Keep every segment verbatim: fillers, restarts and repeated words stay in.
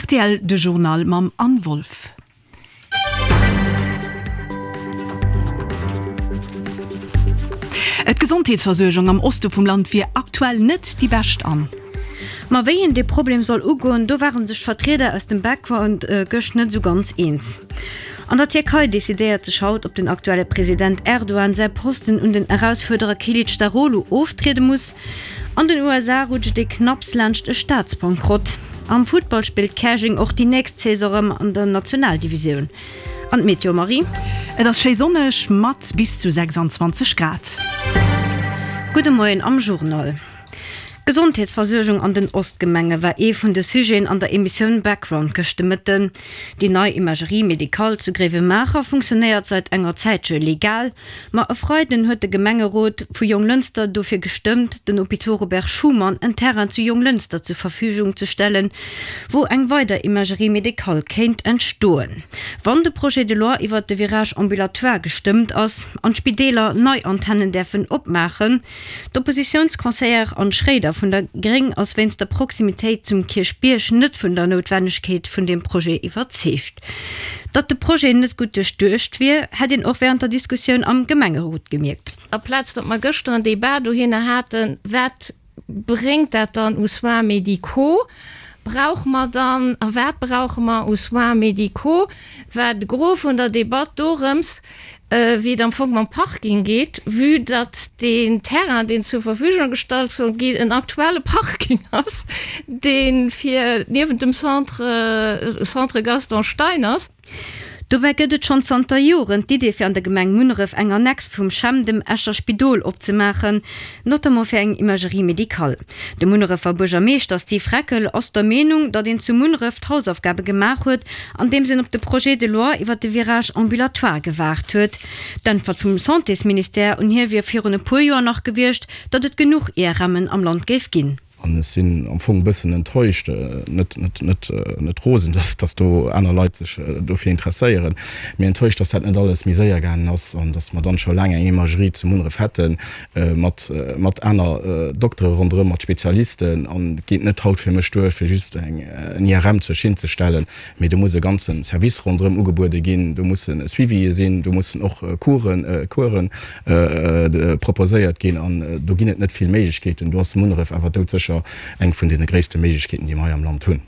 rtl de Journal mam Anne Wolff. D'Gesondheetsversuergung am Oste vum Land wier aktuell net déi bescht an. Ma wéi een dee Problem soll ugoen, do ware sech d'Vertrieder aus dem Background gëscht net esou ganz eens. An der Tierkei decidéiert sech haut, ob den aktuelle President Erdogan säi Posten un den Erausfuerderer Kilicdaroglu oftriede muss. An den U S A rutscht ee knapps laanscht e Staatsbankrott. Am Futtball spillt Käerjeng och déi nächst Saison erëm an der Nationaldivisioun. An d'Meteo, Marie? Et ass schéi sonneg mat bis zu sechsundzwanzeg Grad. Gudde Moien am Journal. D'Gesondheetsversuergung an den Ostgemenge war ee vun de Sujeten an der Emissioun Background gëscht de Mëtten. Déi nei Imagerie médicale zu Gréiwemaacher funktionéiert säit enger Zäitche legal, ma e Freiden huet de Gemengerot vu Jonglënster dofir gestëmmt, den Hôpitaux Robert Schuman en Terrain zu Jonglënster zur Verfügung ze stellen, wou eng weider Imagerie médicale kéint entstoen. Wann de Projet de loi iwwert de Virage ambulatoire gestëmmt ass an d'Spideeler nei Antennen däerfen opmaachen. D'Oppositiounsconseillère Anne Schroeder vun der Gréng ass wéinst der Proximitéit zum Kierchbierg net vun der Noutwennegkeet vun deem Projet iwwerzeegt. Datt de Projet net gutt duerchduecht wier, hätt een och wärend der Diskussioun am Gemengerot gemierkt. Aplaz datt mer gëschter en Debat dohinner haten, wat bréngt dat dann u Soins médicaux, brauche mer dann a wat brauche mer u Soins médicaux, war de Gros vun der Debatt dorëms, wéi et am Fong mam Parking geet, vue datt deen Terrain, deen zur Verfügung gestallt soll ginn, en aktuelle Parking ass, dee fir niewent dem Centre, Centre Gaston Stein ass. Dobäi gëtt et schonn zanter Joren d'Idee fir an der Gemeng Munneref eng Annex vum CHEM, dem Escher Spidol, opzemaachen, notamment fir eng Imagerie médicale. De Munnerefer Buergermeeschter Steve Reckel ass der Meenung, datt een zu Munneref d'Hausaufgabe gemaach huet, andeems een op de Projet de loi iwwer de Virage ambulatoire gewaart huet. D'Äntwert vum Santésministère un hie wier virun e puer Joer nach gewiescht, datt et genuch I R M'en am Land géif ginn. An ech sinn am Fong e bëssen enttäuscht, net, net, net, net rosen, dass, dass do aner Leit sech dofir interesséieren, mee enttäuscht, dass dat net alles méi séier gaangen ass an dass mer dann scho laang eng Imagerie zu Munneref hätten, mat, mat aner Doktere ronderëm, mat Spezialisten. An et geet net haut fir mech duer, fir just eng, en I R M zur Schinn ze stellen, mee do muss e ganze Service ronderëm ugebuede ginn, do musse Suivië sinn, do mussen och Coursen, Coursen proposéiert ginn an do ginn et net vill Méiglechkeeten. Do ass Munneref awer doudsécher eng vun deene gréisste Méiglechkeeten, déi mer hei am Land hunn.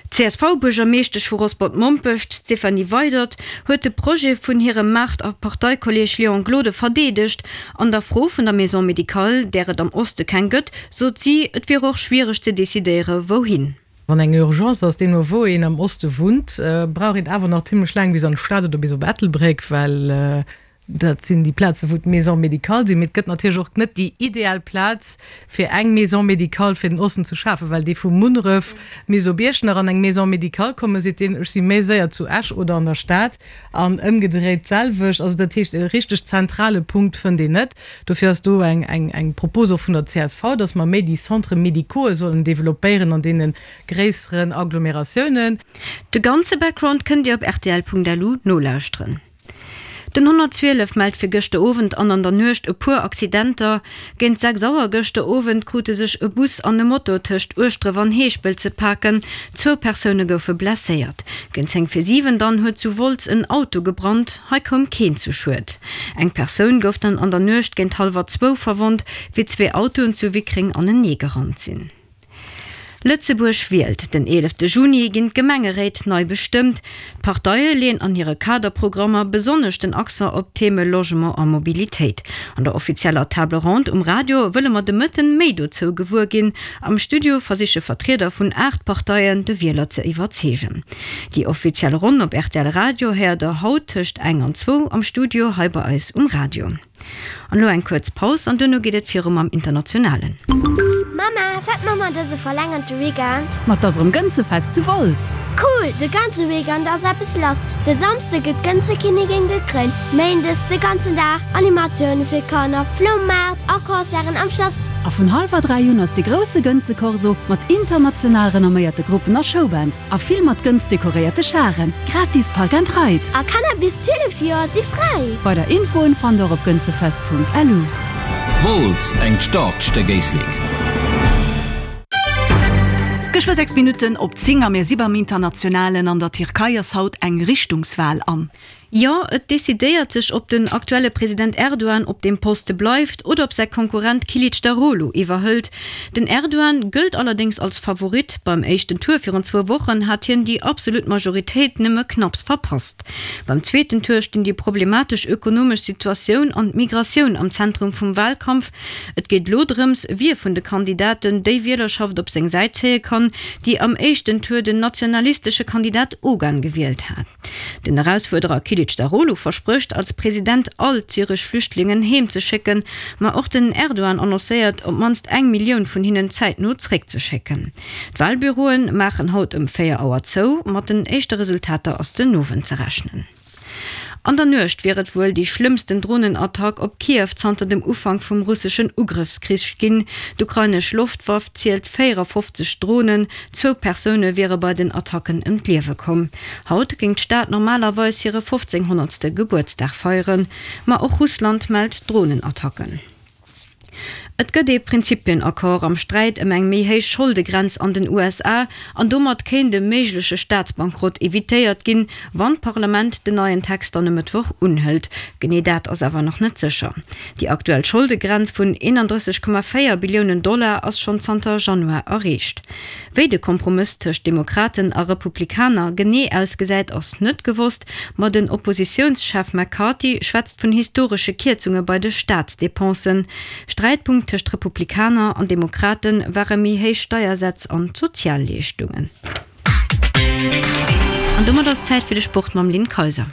D C S V-Buergermeeschtesch vu Rosport-Mompech, d'Stéphanie Weydert, huet de Projet vun hirem Maart a Parteikolleeg Léon Gloden verdeedegt. An der Fro vun der Maison médicale, där et am Oste keng gëtt, sot si, et wier och schwiereg ze decidéiere wouhin. Wann eng Urgence ass, deemno wou een am Oste wunnt, brauch een awer nach zimmlech laang bis an d'Stad oder bis op Ettelbréck, well dat sinn déi Plaze wou d'Maison médicale sinn. Mee et gëtt natierlech och net déi ideal Plaz fir eng Maison médicale fir den Osten ze schafen, well déi vu Munneref bis op Iechternach an eng Maison médicale kommen, seet deen, ech si méi séier zu Esch oder an der Stad an ëmgedréit d'selwecht. Also dat heescht, e richteg zentrale Punkt fënnt een net. Dofir ass do eng, eng, eng Propos och vun der C S V, dass mer méi déi Centres médicaux sollen développéieren an deene gréisseren Agglomeratiounen. De ganze Background kënnt Dir op R T L punkt L U nolauschteren. Den honnertzwielef mellt fir gëschter Owend an an der Nuecht e puer Accidenter. Géint sechs Auer gëschter Owend krute sech e Bus an e Moto tëscht Ueschdref an Heeschpelt ze paken. Zwou Persoune goufe blesséiert. Géint zéng vir siwen dann huet zu Wolz en Auto gebrannt. Hei koum keen zu Schued. Eng Persoun gouf dann an der Nuecht géint hallwer zwou verwonnt, wéi zwee Autoen zu Wickreng anenee gerannt sinn. Lëtzebuerg wielt. Den eelefte Juni ginn d'Gemengeréit nei bestëmmt. D'Parteie leeën an hire Kaderprogrammer besonnesch den Accent op d'Theme Logement a Mobilitéit. An der offizieller Table Ronde um Radio wëlle mer de Mëtten méi dozou gewuer ginn. Am Studio versiche Vertrieder vun aacht Parteien de Wieler ze iwwerzeegen. Déi offiziell Ronn op R T L Radio héiert der haut tëscht eng an zwou am Studio hei bei eis um Radio. An elo eng kuerz Paus an duerno geet et virum am Internationalen. Mama, wat ma mer dëse verlängerte Weekend? Mat ass erëm Gënzefest zu Wolz. Cool, de ganze Weekend ass eppes lass. De Samsde gëtt d'Gënzekinnigin gekréint. Méindes de ganzen Dag Animatioune fir Kanner, Floumaart a Concerten am Schlass. A vun hallwer dräi un ass de grousse Gënzekorso mat international renomméierte Gruppen a Showbands a vill mat Gënz dekoréierte Scharen. Gratis Park and Ride. A Kanner bis zwielef Joer si fräi. Weider Infoen fannt der op gënzefest punkt L U. Wolz eng Startstéck Éislek. Geschwë sechs Minutten op zéng a mir si beim Internationalen. An der Tierkei ass haut eng Richtungswal an. Jo, et decidéiert sech, ob den aktuelle President Erdogan op deem Poste bleift oder ob säi Konkurrent Kilicdaroglu iwwerhëlt. Den Erdogan gëllt allerdéngs als Favorit. Beim éischten Tour virun zwou Wochen hat hien déi absolut Majoritéit nëmme knapps verpasst. Beim zweeten Tour stinn déi problematesch ökonomesch Situatioun an d'Migratioun am Zentrum vum Walkampf. Et geet elo drëms, wie vun de Kandidaten déi Wielerschaft op seng Säit zéie kann, déi am éischten Tour den nationalistesche Kandidat Ogan gewielt hat. Den Erausfuerderer Kilicdaroglu versprécht, als President all d'syresch Flüchtlingen heem ze schécken, ma och den Erdogan annoncéiert, op d'mannst eng Millioun vun hinnen zäitno zréckzeschécken. D'Walbüroe maachen haut ëm véier Auer zou, mat den éischte Resultater ass den Owend ze rechnen. An der Nuecht wier et wuel déi schlëmmsten Dronenattack op Kiew zanter dem Ufank vum russeschen Ugrëffskrich ginn. D'ukrainesch Loftwaff zielt véierafofzeg Dronen, zwou Persoune wiere bei den Attacken ëm d'Liewe komm. Haut géing d'Stad normalerweis hire fofzénghonnertste Gebuertsdag feieren, ma och Russland mellt Dronenattacken. Et gëtt ee Prinzipienaccord am Sträit ëm eng méi héich Scholdegrenz an den U S A an domat kéint e méigleche Staatsbankrott evitéiert ginn, wann d'Parlament den neien Text dann e Mëttwoch unhëlt. Genee dat ass awer nach net sécher. Déi aktuell Scholdegrenz vun eenandrësseg Komma véier Billiounen Dollar ass schonn zanter Januar erreecht. Wéi de Kompromëss tëscht Demokraten a Republikaner genee ausgesäit, ass net gewosst, ma den Oppositiounschef McCarthy schwätzt vun historesche Kierzunge bei de Staatsdepensen. Sträitpunkt tëscht Republikaner an Demokrate ware méi héich Steiersätz an d'Sozialleeschtungen. An domat ass Zäit fir de Sport mam Lynn Kayser.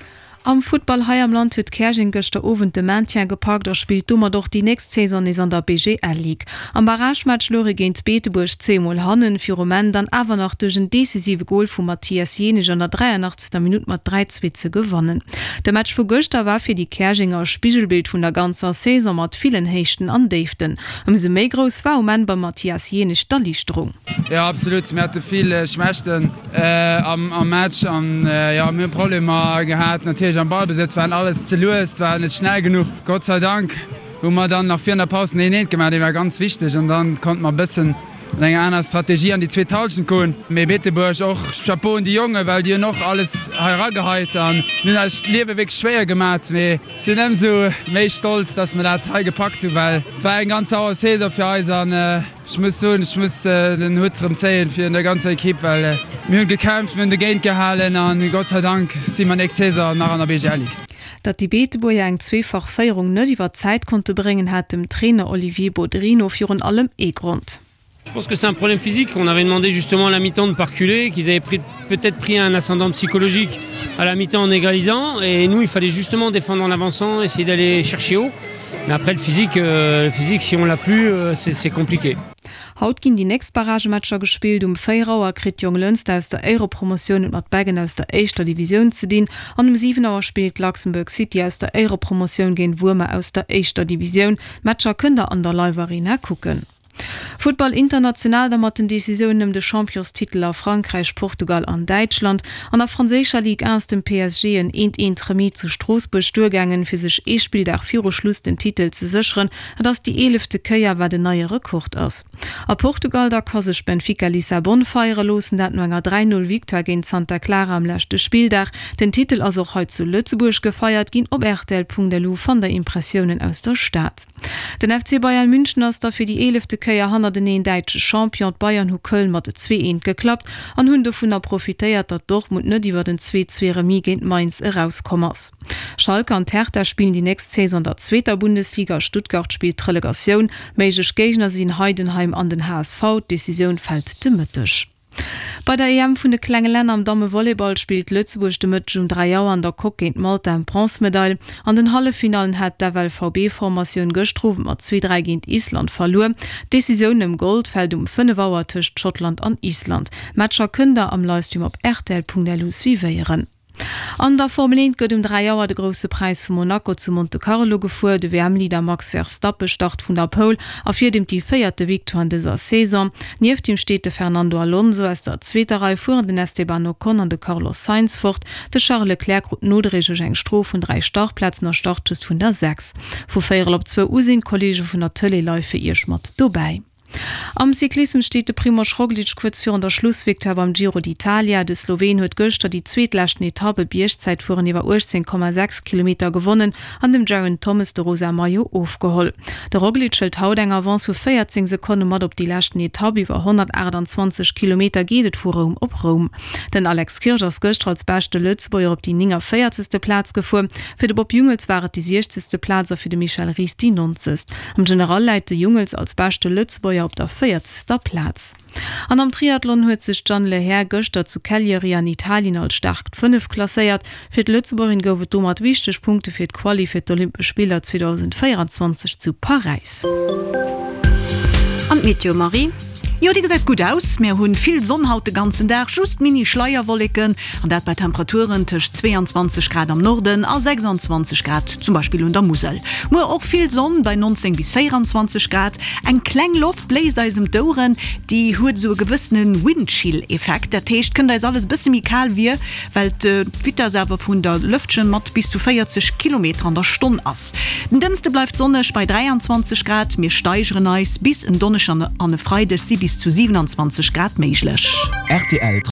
Am Futtball hei am Land huet Käerjeng gëschter Owend de Maintien gepackt a spillt domat och déi nächst Saison nees an der B G L Ligue. Am Barragematch louche géint Beetebuerg zwee Mol hannen, fir um Enn dann awer nach duerch en decisive Gol vum Mathias Jenisch an der dräianachtzegster Minutt mat dräi zwee ze gewannen. De Match vu gëschter war fir déi Käerjenger e Spigelbild vun der ganzer Saison mat villen Héichten an Déiften. Ëmsou méi grouss war um Enn beim Mathias Jenisch d'Erliichterung. Jo, absolut. Mir hate vill Schwächten am am Match an jo, mir hu Problemer gehat natierlech am Ballbesëtz, waren alles ze lues, war net schnell genuch. Gott sei Dank hu mer dann nach virun der Paus den een eent gemaach, dee war ganz wichteg an dann konnte mer e bëssen an enger aner Strategie an déi zweet Hallschent goen. Mee Beetebuerg och, Chapeau un déi Jongen, well déi hunn och alles hei erageheit an hunn eis d'Liewe wierklech schwéier gemat. Mee sinn ëmsou méi stolz, dass mer dat hei gepackt hunn, well et war eng ganz sauer Saison fir eis an ech muss soen, ech muss den Hutt erëm zéien virun der ganzer Ekipp, well mir hunn gekämpft, mir hunn dogéint gehalen an Gott sei Dank si mer nächst Saison nach an der B G L Ligue. Datt déi Beetebuerger eng zweefach Féierung net iwwer d'Zäit konnte bréngen, hat dem Trainer Olivier Bodry no virun allem ee Grond. Je pense que c'est un problème physique. On avait demandé justement à la mi-temps de ne pas reculer, qu'ils avaient pris peut-être pris un ascendant psychologique à la mi-temps en égalisant. Et nous, il fallait justement défendre en avançant, essayer d'aller chercher haut. Mais après le physique, euh, le physique, si on l'a plus, euh, c'est compliqué. Haut ginn déi nächst Barragematcher gespillt. Um véier Auer kritt Jonglënster aus der Éierepromotioun et mat Beggen aus der éischter Divisioun ze dinn an um siwen Auer spillt Luxembourg City aus der Éierepromotioun géint Wuermer aus der éischter Divisioun. D'Matcher kënnt der an der Live Arena kucken. Futtball international da mat den Decisiounen ëm de Championstitel a Frankräich, Portugal an Däitschland. An der franséischer Ligue un ass dem P S G en eent eent Remis zu Stroossbuerg duergaangen, fir sech ee Spilldag viru Schluss den Titel ze sécheren. Et ass déi eelefte Kéier, wat en neie Rekord ass. A Portugal da ka sech Benfica Lissabon feiere loossen, dat no enger dräi null Victoire géint Santa Clara am leschte Spilldag. Den Titel ass och hei zu Lëtzebuerg gefeiert ginn. Op R T L Punkt L U fannt der Impressiounen aus der Stad. Den F C Bayern München ass da fir déi eelefte Kéier hannerteneen däitsche Champion. D'Bayern hu Köln mat zwee eent geklappt an hunn dovunner profitéiert, datt Dortmund net iwwer den zwee zwee Remis géint Mainz erauskomm ass. Schalke an d'Hertha spillen déi nächst Saison an der zweeter Bundesliga, Stuttgart spillt d'Relegatioun. Méiglech Géigner sinn Heidenheim an den H S V. D'Decisioun fält de Mëtteg. Bei der E M vun de klenge Länner am Dammevolleyball spillt Lëtzebuerg de Mëtteg um dräi Auer an der Coque géint Malta ëm d'Bronzmedail. An den Halleffinallen hat d'F L V B-Formatioun gëschter Owend mat zwee dräi géint Island verluer. D'Decisioun ëm Gold fält um fënnef Auer tëscht Schottland an Island. D'Matcher kënnt der am Livestream op R T L Punkt L U suivéieren. An der Formel eent gëtt um dräi Auer de Grousse Präis vu Monaco zu Monte Carlo gefuer. De W M-Leader Max Verstappen start vun der Pole a fiert ëm déi véierte Victoire an dëser Saison. Nieft him steet de Fernando Alonso. Aus der zweeter Rei fueren den Esteban Ocon an de Carlos Sainz fort. De Charles Leclerc krut nodréiglech eng Strof vun dräi Startplazen a start just vun der sechs. Vu véierel op zwou u sinn d'Kolleege vun der Tëlee live fir iech mat dobäi. Am Cyclissem steet de Primož Roglič kuerz virun der Schlussvictoire beim Giro d'Italia. De Sloween huet gëschter déi zweetleschten Etapp, e Biergzäitfueren iwwer uechtzéng Komma sechs Kilometer, gewonnen an dem Geraint Thomas de rosa Maillot ofgeholl. De Roglič hëlt haut eng Avance vu véierzéng Sekonne mat op déi leschten Etapp. Iwwer honnertaachtanzwanzeg Kilometer geet et vu Roum op Roum. Den Alex Kirsch ass gëschter als beschte Lëtzebuerger op déi néngavéierzegste Plaz gefuer. Fir de Bob Jungels war et déi siechzegste Plaz a fir de Michel Ries déi nonzegst. Am General läit de Jungels als beschte Lëtzebuerger op der véierzegster Plaz. An am Triathlon huet sech d'Jeanne Lehair gëschter zu Cagliari an Italien als staarkt Fënnef klasséiert. Fir d'Lëtzebuergerin gouf et domat wichteg Punkte fir d'Quali fir d'Olympesch Spiller zweedausendvéierenzwanzeg zu Paräis. An d'Meteo, Marie? Jo, déi gesäit gutt aus. Mir hunn vill Sonn haut de ganzen Dag, just mini Schleierwolleken, an dat bei Temperaturen tëscht zweeanzwanzeg Grad am Norden a sechsanzwanzeg Grad zum Beispill un der Musel. Muer och vill Sonn bei neunzéng bis véierundzwanzeg Grad. Eng kleng Loft bléist eis ëm d'Oueren, déi huet esou e gewëssene Windchill-Effekt, dat heescht, kënnt eis alles e bësse méi kal vir, well d'Vitess awer vun der Lëftchen mat bis zu véierzeg Kilometer an der Stonn ass. Den Dënschde bleift sonneg bei dräianzwanzeg Grad, mir steigeren eis bis en Donneschden an e Freideg si bis zu siewenundzwanzeg Grad méiglech. Rtl.